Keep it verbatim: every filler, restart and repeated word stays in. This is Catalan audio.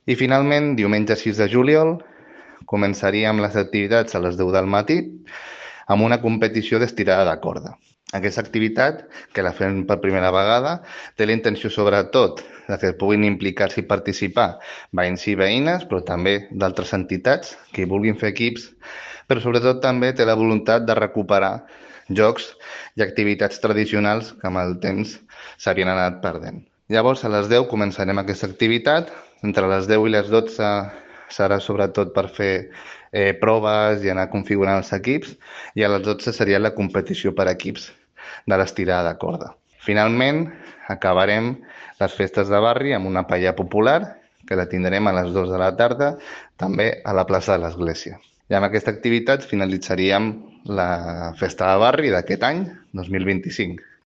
I finalment, diumenge sis de juliol, començaríem les activitats a les deu del matí amb una competició d'estirada de corda. Aquesta activitat, que la fem per primera vegada, té la intenció sobretot de que puguin implicar-s'hi i participar veïns i veïnes, però també d'altres entitats que hi vulguin fer equips, però sobretot també té la voluntat de recuperar jocs i activitats tradicionals que amb el temps s'havien anat perdent. Llavors, a les deu començarem aquesta activitat. Entre les deu i les dotze serà sobretot per fer eh, proves i anar configurant els equips, i a les dotze seria la competició per equips de l'estirada de corda. Finalment, acabarem les festes de barri amb una paella popular, que la tindrem a les dues de la tarda, també a la plaça de l'Església. I amb aquesta activitat finalitzaríem la festa de barri d'aquest any, dos mil vint-i-cinc.